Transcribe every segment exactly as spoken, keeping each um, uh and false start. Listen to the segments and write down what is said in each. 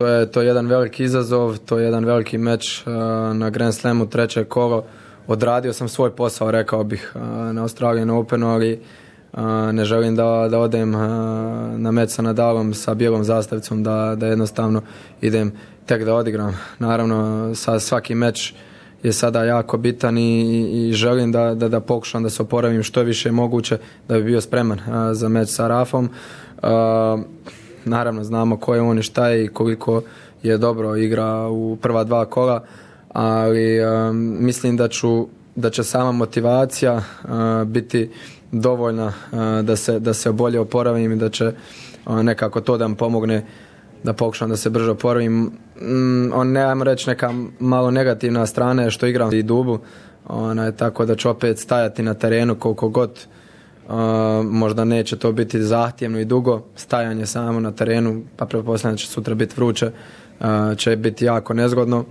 To je to je jedan veliki izazov, to je jedan veliki meč na Grand Slamu, treće kolo. Odradio sam svoj posao, rekao bih, na Australian Openu, ali ne želim da, da odem na meč sa Nadalom, sa bijelom zastavicom, da, da jednostavno idem tek da odigram. Naravno, sa svaki meč je sada jako bitan i, i želim da, da, da pokušam da se oporavim što je više moguće da bi bio spreman za meč sa Rafom. Naravno, znamo ko je on i šta je i koliko je dobro igra u prva dva kola, ali mislim da ću da će sama motivacija biti dovoljna da se, da se bolje oporavim i da će nekako to da mi pomogne da pokušam da se brže oporavim. On, ne ajmo reći, neka malo negativna strana je što igram i dubu, ona, tako da ću opet stajati na terenu koliko god. Uh, možda neće to biti zahtjevno i dugo, stajanje samo na terenu, pa pretpostavljam da će sutra biti vruće, uh, će biti jako nezgodno,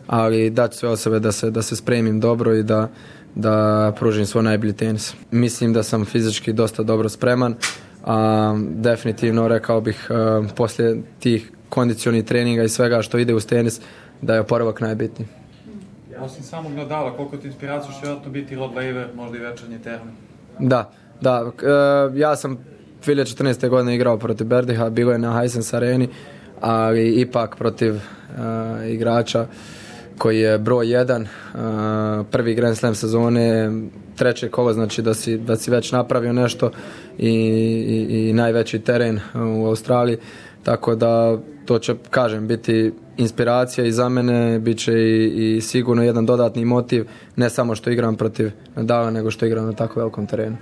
ali daću sve od sebe da se, da se spremim dobro i da, da pružim svoj najbolji tenis. Mislim da sam fizički dosta dobro spreman, a definitivno rekao bih uh, poslije tih kondicionih treninga i svega što ide uz tenis, da je oporavak najbitniji. Osim samog Nadala, koliko ti inspiraciju će vjerojatno biti Rod Laver, možda i večernji termin? Da, da, uh, ja sam dvije hiljade četrnaeste. godine igrao protiv Berdiha, bilo je na Hisense Areni, ali ipak protiv uh, igrača koji je broj jedan, uh, prvi Grand Slam sezone, treće kolo, znači da si, da si već napravio nešto i, i, i najveći teren u Australiji, tako da to će, kažem, biti inspiracija i za mene, bit će i, i sigurno jedan dodatni motiv, ne samo što igram protiv Nadala, nego što igram na tako velikom terenu.